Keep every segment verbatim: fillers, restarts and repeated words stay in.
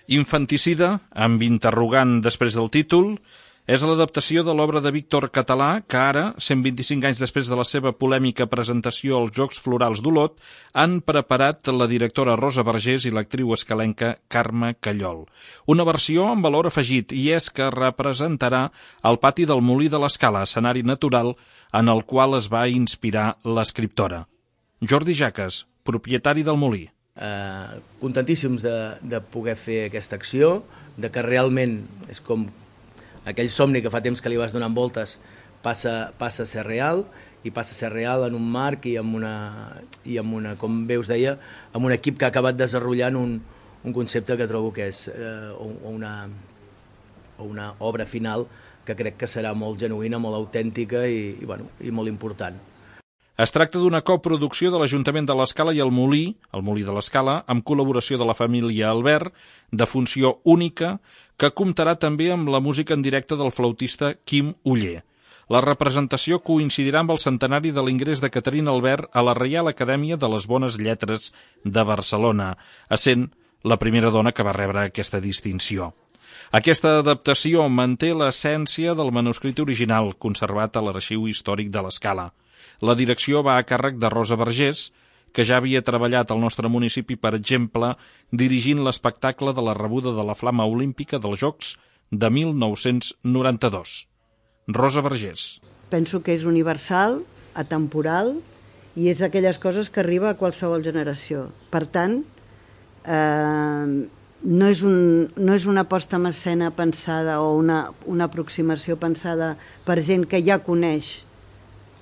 Infanticida, amb interrogant després del títol, és l'adaptació de l'obra de Víctor Català que ara, cent vint-i-cinc anys després de la seva polèmica presentació als Jocs Florals d'Olot, han preparat la directora Rosa Vergés i l'actriu escalenca Carme Callol. Una versió amb valor afegit, i és que representarà el pati del Molí de l'Escala, escenari natural en el qual es va inspirar l'escriptora. Jordi Jaques, propietari del Molí. Eh, contentíssims de, de poder fer aquesta acció, de que realment és com aquell somni que fa temps que li vas donant voltes passa, passa a ser real, i passa a ser real en un marc i amb una, i amb una, com bé us deia, amb un equip que ha acabat desenvolupant un, un concepte que trobo que és eh, una, una obra final que crec que serà molt genuïna, molt autèntica i, i, bueno, i molt important. Es tracta d'una coproducció de l'Ajuntament de l'Escala i el Molí, el Molí de l'Escala, amb col·laboració de la família Albert, de funció única, que comptarà també amb la música en directe del flautista Quim Oller. La representació coincidirà amb el centenari de l'ingrés de Caterina Albert a la Reial Acadèmia de les Bones Lletres de Barcelona, essent la primera dona que va rebre aquesta distinció. Aquesta adaptació manté l'essència del manuscrit original, conservat a l'Arxiu Històric de l'Escala. La direcció va a càrrec de Rosa Vergés, que ja havia treballat al nostre municipi, per exemple, dirigint l'espectacle de la rebuda de la Flama Olímpica dels Jocs de mil nou-cents noranta-dos. Rosa Vergés. Penso que és universal, atemporal, i és d'aquelles coses que arriba a qualsevol generació. Per tant, eh, no, és un, no és una posta en escena pensada o una, una aproximació pensada per gent que ja coneix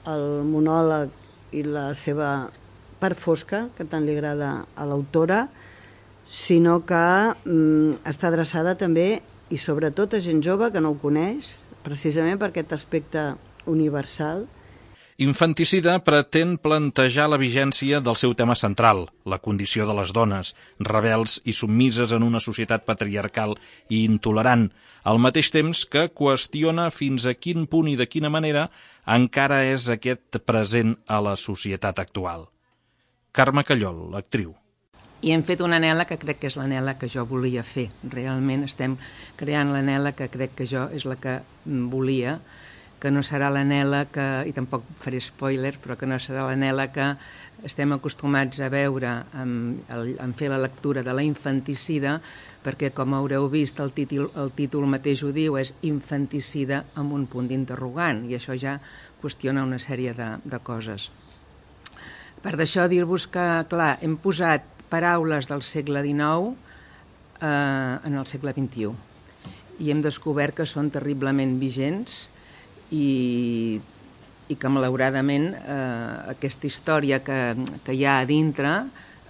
el monòleg i la seva part fosca, que tant li agrada a l'autora, sinó que mm, està adreçada també i sobretot a gent jove que no ho coneix, precisament per aquest aspecte universal. Infanticida pretén plantejar la vigència del seu tema central, la condició de les dones, rebels i submises en una societat patriarcal i intolerant, al mateix temps que qüestiona fins a quin punt i de quina manera encara és aquest present a la societat actual. Carme Callol, l'actriu. I hem fet una anel·la que crec que és l'anel·la que jo volia fer. Realment estem creant l'anel·la que crec que jo és la que volia, que no serà l'anel·la que, i tampoc faré spoiler, però que no serà l'anel·la que estem acostumats a veure en, en fer la lectura de la infanticida, perquè, com haureu vist, el títol, el títol mateix ho diu, és infanticida amb un punt d'interrogant, i això ja qüestiona una sèrie de, de coses. Per d'això dir-vos que, clar, hem posat paraules del segle dinou eh, en el segle vint-i-u, i hem descobert que són terriblement vigents, i, i que malauradament eh, aquesta història que, que hi ha a dintre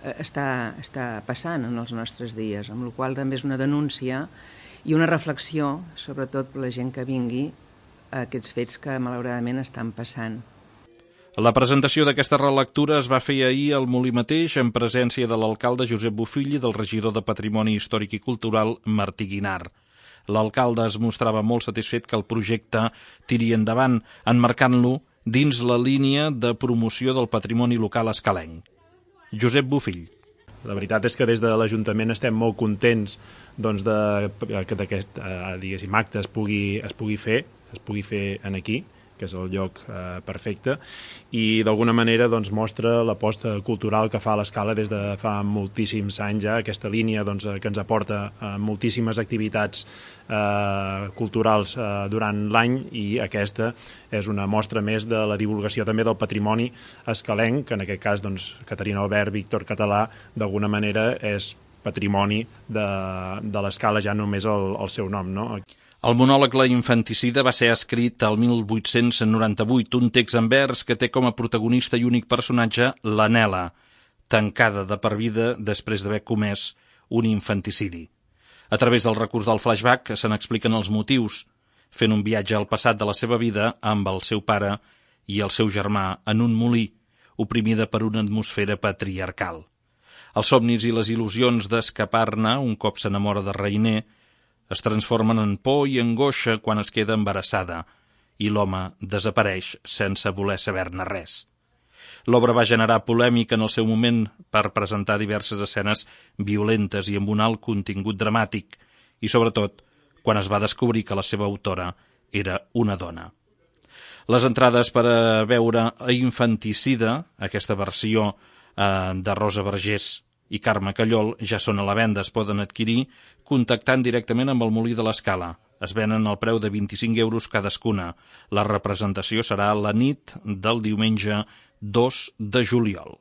eh, està, està passant en els nostres dies, amb la qual cosa també és una denúncia i una reflexió, sobretot per la gent que vingui, a aquests fets que malauradament estan passant. La presentació d'aquesta relectura es va fer ahir al Molí mateix, en presència de l'alcalde Josep Bofill i del regidor de Patrimoni Històric i Cultural, Martí Guinar. L'alcalde es mostrava molt satisfet que el projecte tiri endavant, emmarcant-lo dins la línia de promoció del patrimoni local escalenc. Josep Bofill. La veritat és que des de l'Ajuntament estem molt contents doncs, de, que aquest eh, diguéssim, acte es pugui, es pugui fer, es pugui fer en aquí, que és el lloc eh, perfecte, i d'alguna manera doncs, mostra l'aposta cultural que fa l'Escala des de fa moltíssims anys ja, aquesta línia doncs, que ens aporta eh, moltíssimes activitats eh, culturals eh, durant l'any, i aquesta és una mostra més de la divulgació també del patrimoni escalenc, que en aquest cas doncs, Caterina Albert, Víctor Català, d'alguna manera és patrimoni de, de l'Escala, ja només el, el seu nom, no? El monòleg La infanticida va ser escrit el mil vuit-cents noranta-vuit, un text en vers que té com a protagonista i únic personatge la Nela, tancada de per vida després d'haver comès un infanticidi. A través del recurs del flashback se n'expliquen els motius, fent un viatge al passat de la seva vida amb el seu pare i el seu germà en un molí, oprimida per una atmosfera patriarcal. Els somnis i les il·lusions d'escapar-ne, un cop s'enamora de Reiner, es transformen en por i angoixa quan es queda embarassada i l'home desapareix sense voler saber-ne res. L'obra va generar polèmica en el seu moment per presentar diverses escenes violentes i amb un alt contingut dramàtic, i sobretot quan es va descobrir que la seva autora era una dona. Les entrades per a veure a Infanticida, aquesta versió eh, de Rosa Vergés i Carme Callol, ja són a la venda, es poden adquirir contactant directament amb el Molí de l'Escala. Es venen al preu de vint-i-cinc euros cadascuna. La representació serà la nit del diumenge dos de juliol.